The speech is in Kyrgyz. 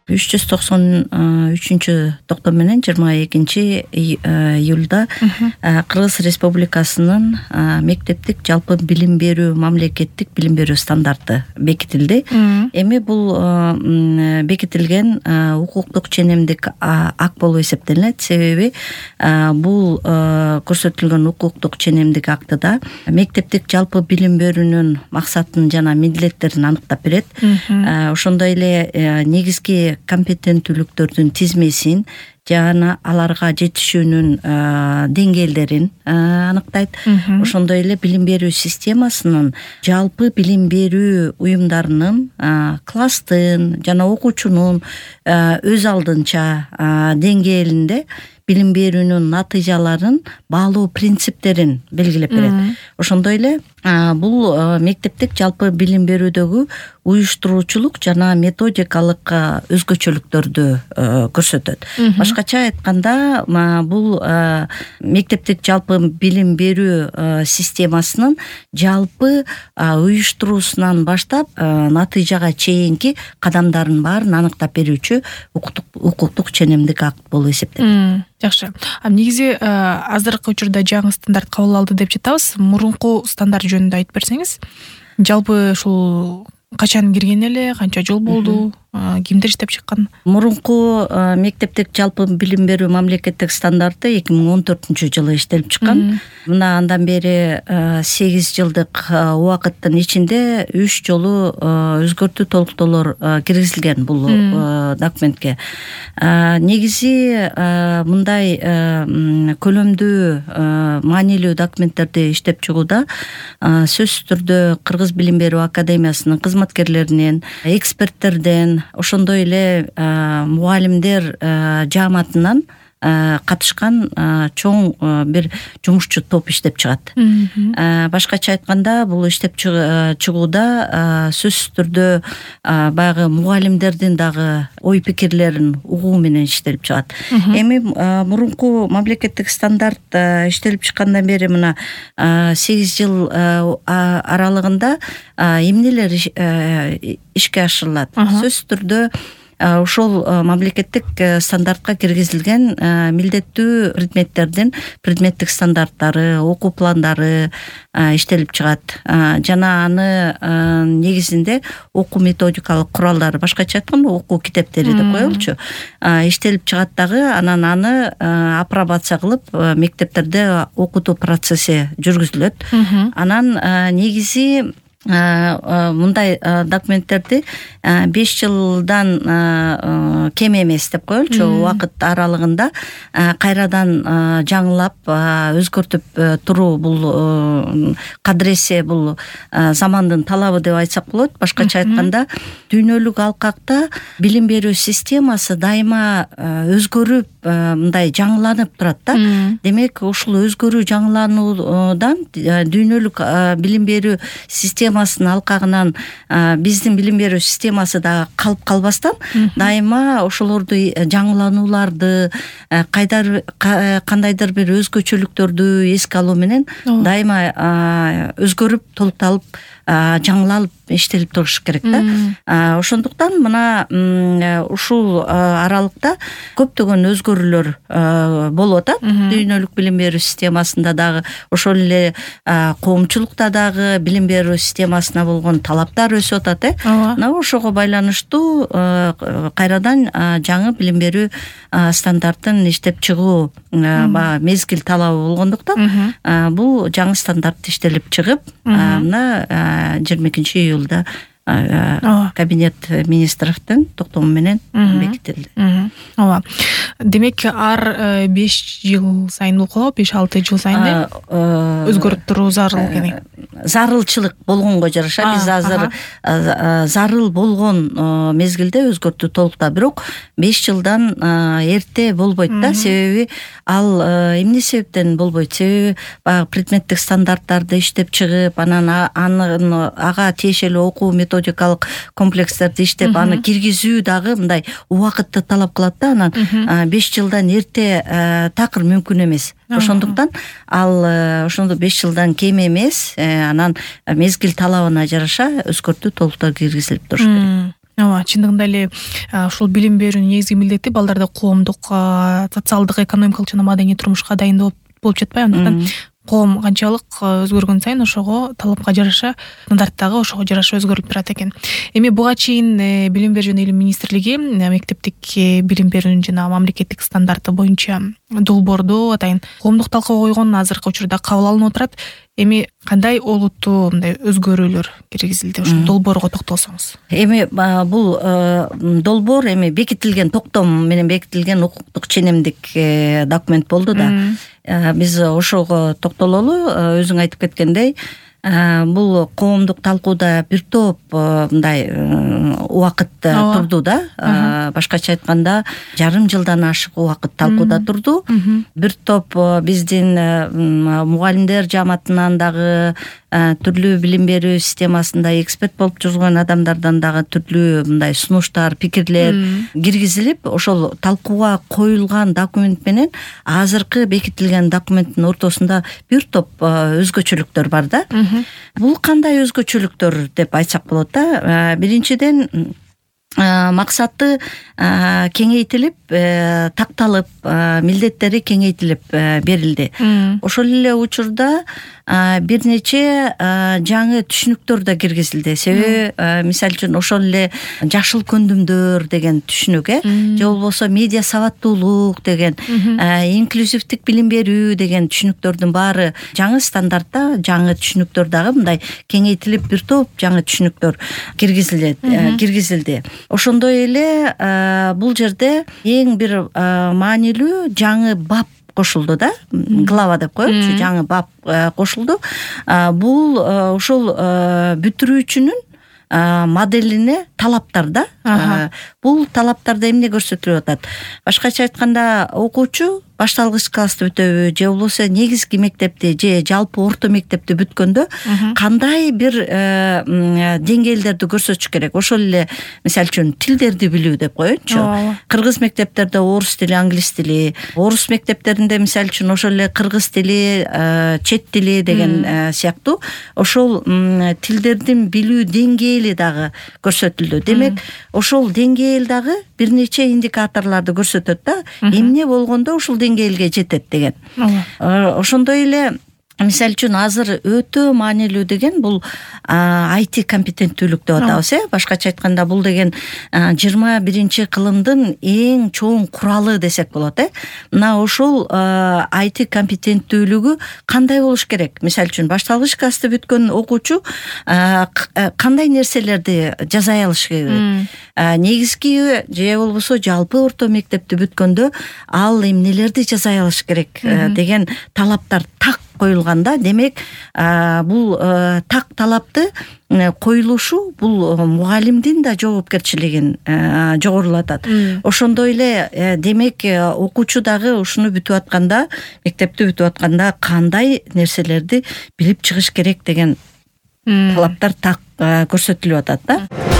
393 токтом менен 22-июлда Кыргыз Республикасынын мектептик жалпы билим берүү мамлекеттик билим берүү стандарты бекитилди. Эми бул бекитилген укуктук ченемдик акт болуп эсептелет. Себеби бул көрсөтүлгөн укуктук ченемдик актыда мектептик жалпы билим берүүнүн максатын жана милдеттерин аныктап берет. Ошондой эле негизги компетенттүүлүктөрдүн тизмесин жана аларга жетишүүнүн деңгээлдерин аныктайт. Ошондой эле билим берүү системасынын жалпы билим берүү уюмдарынын класстын жана окуучунун өз алдынча деңгээлинде билим берүүнүн натыйжаларын баалоо принциптерин белгилеп берет. Ошондой эле бул мектептик жалпы билим берүүдөгү уюштуруучулук жана методикалык өзгөчөлүктөрдү көрсөтөт. Башкача айтканда, бул мектептик жалпы билим берүү системасынын жалпы уюштуруусунан баштап натыйжага чейинки кадамдарын баарын аныктап берүүчү укуктук ченемдик акт болуп эсептелет. Жакшы. Негизи азыркы учурда жаңы стандарт кабыл алды деп жатабыз. Мурунку стандарт жөнүндө айтып берсеңиз. Жалпы ушул качан кирген эле, канча жыл болду, кимдер иштеп чыккан? Мурунку мектептик жалпы билим берүү мамлекеттик стандарты 2014-жылы иштелип чыккан. Мына андан бери 8 жылдык убакыттын ичинде 3 жолу өзгөртүү толуктоолор киргизилген бул документке. Негизи мындай көлөмдүү маанилүү документтерди иштеп чыгууда сөзсүз түрдө Кыргыз билим берүү академиясынын кызматкерлеринен, эксперттерден, ошондой эле мугалимдер жааматынан катышкан чоң бир жумушчу топ иштеп чыгат. Башкача айтканда, бул иштеп чыгууда сөзсүз түрдө баягы мугалимдердин дагы ой пикирлерин угуу менен иштелип чыгат. Эми мурунку мамлекеттик стандарт иштелип чыккандан бери мына 8 жыл аралыгында эмнелер ишке ашырылат? Сөзсүз түрдө ошол мамлекеттик стандартка киргизилген милдеттүү предметтердин предметтик стандарттары, окуу пландары иштелип чыгат. Жана аны негизинде окуу методикалык куралдары, башкача айтканда окуу китептери деп коелучу, иштелип чыгат дагы. Анан аны апробация кылып мектептерде окутуу процесси жүргүзүлөт. Анан негизи мындай документтерди 5 жылдан кем эмес деп коелучу убакыт аралыгында кайрадан жаңылап өзгөртүп туруу бул кадыресе, бул замандын талабы деп айтсак болот. Башкача айтканда, дүйнөлүк алкакта билим берүү системасы дайыма өзгөрүп, мындай жаңыланып турат да. Демек, ушул өзгөрүү жаңылануудан дүйнөлүк билим берүү системасынын алкагынан биздин билим берүү системасы да калып калбастан, дайыма ошолорду жаңыланууларды, кандайдыр бир өзгөчөлүктөрдү эске алуу менен дайыма өзгөрүп, толукталып, жаңылалып иштелип туруш керек да. Ошондуктан мына ушул аралыкта көптөгөн өзгөрүүлөр болуп атат. Дүйнөлүк билим берүү системасында дагы, ошол эле коомчулукта дагы билим берүү системасына болгон талаптар өсүп атат. Мына ошого байланыштуу кайрадан жаңы билим берүү стандартын иштеп чыгуу мезгил талабы болгондуктан бул жаңы стандарт иштелип чыгып, мына 22-июлда кабинет министровдун токтому менен бекитилди. Ооба. Демек, ар 5 жыл сайын болобу, 5-6 жыл сайын өзгөртүрүү зарыл экен. Зарылчылык болгонго жараша биз азыр зарыл болгон мезгилде өзгөртүү толукта, бирок 5 жылдан эрте болбойт да. Себеби ал эмне себептен болбойт? Себеби баягы предметтик стандарттарды иштеп чыгып, анан ага тиешелүү окуу методикалык комплекстерди иштеп, аны киргизүү дагы мындай убакытты талап кылат да. Анан 5 жылдан эрте такыр мүмкүн эмес. Ошондуктан ал ошондо 5 жылдан кем эмес, анан мезгил талабына жараша өзгөртүү толуктар киргизилип туруш керек. ооба, чындыгында эле ушул билим берүүнүн негизги милдети балдарды коомдук, социалдык, экономикалык жана маданий турмушка дайындоо болуп жатпайбы. Андыктан коом канчалык өзгөргөн сайын ошого талапка жараша стандарт дагы ошого жараша өзгөрүлүп турат экен. Эми буга чейин Билим берүү жана илим министрлиги мектептик билим берүүнүн жана мамлекеттик стандарты боюнча долбоорду атайын коомдук талкууга койгон, азыркы учурда кабыл алынып отурат. Эми кандай олуттуу мындай өзгөрүүлөр киргизилди? Ошол долбоорго токтолсоңуз. Эми бул долбоор эми бекитилген, токтом менен бекитилген укуктук ченемдик документ болду да. Биз ошого токтололу. Өзүң айтып кеткендей, бул коомдук талкууда бир топ мындай убакыт турду да. Башкача айтканда жарым жылдан ашык убакыт талкууда турду. Бир топ биздин мугалимдер жааматынан дагы, түрлүү билим берүү системасында эксперт болуп жүргөн адамдардан дагы түрлүү мындай сунуштар, пикирлер киргизилип, ошол талкууга коюлган документ менен азыркы бекитилген документтин ортосунда бир топ өзгөчөлүктөр бар да. Бул кандай өзгөчөлүктөр деп айтсак болот да. Биринчиден, максаты кеңейтилип, такталып, милдеттери кеңейтилип берилди. Ошол эле учурда бир нече жаңы түшүнүктөр да киргизилди. Себеби, мисалы үчүн, ошол эле жашыл көндүмдөр деген түшүнүк, же болбосо медиа сабаттуулук деген, инклюзивдик билим берүү деген түшүнүктөрдүн баары жаңы стандартта, жаңы түшүнүктөр дагы мындай кеңейтилип, бир топ жаңы түшүнүктөр киргизилди. Ошондой эле бул жерде эң бир маанилүү жаңы бап кошулду да. Глава деп коелучу, жаңы бап кошулду. Бул ошол бүтүрүүчүнүн моделине талаптар да. Бул талаптарда эмне көрсөтүлүп атат? Башкача айтканда, окуучу башталгыч классты бүтөбү, же болбосо негизги мектепти же жалпы орто мектепти бүткөндө кандай бир деңгээлдерди көрсөтүш керек. Ошол эле, мисалы үчүн, тилдерди билүү деп коеюнчу. Кыргыз мектептерде орус тили, англис тили, орус мектептеринде мисалы үчүн ошол эле кыргыз тили, чет тили деген сыяктуу ошол тилдердин билүү деңгээли дагы көрсөтүлдү. Демек, ошол деңгээл дагы бир нече индикаторлорду көрсөтөт да. Эмне болгондо ушул деңгээлге жетет деген. Ошондой эле, мисалы үчүн, азыр өтө маанилүү деген бул IT компетенттүүлүк деп атабыз, башкача айтканда бул деген 21-кылымдын эң чоң куралы десек болот, Мына ошол IT компетенттүүлүгү кандай болуш керек? Мисалы үчүн, башталгыч классты бүткөн окуучу кандай нерселерди жаза алыш керек? Негизги же болбосо жалпы орто мектепти бүткөндө ал эмнелерди жаза алыш керек деген талаптар так коюлганда, демек, бул так талапты коюлушу бул мугалимдин да жоопкерчилигин жогорулатат. Ошондой эле, демек, окуучу дагы ушуну бүтүп атканда, мектепти бүтүп атканда кандай нерселерди билип чыгыш керек деген талаптар так көрсөтүлүп атат да.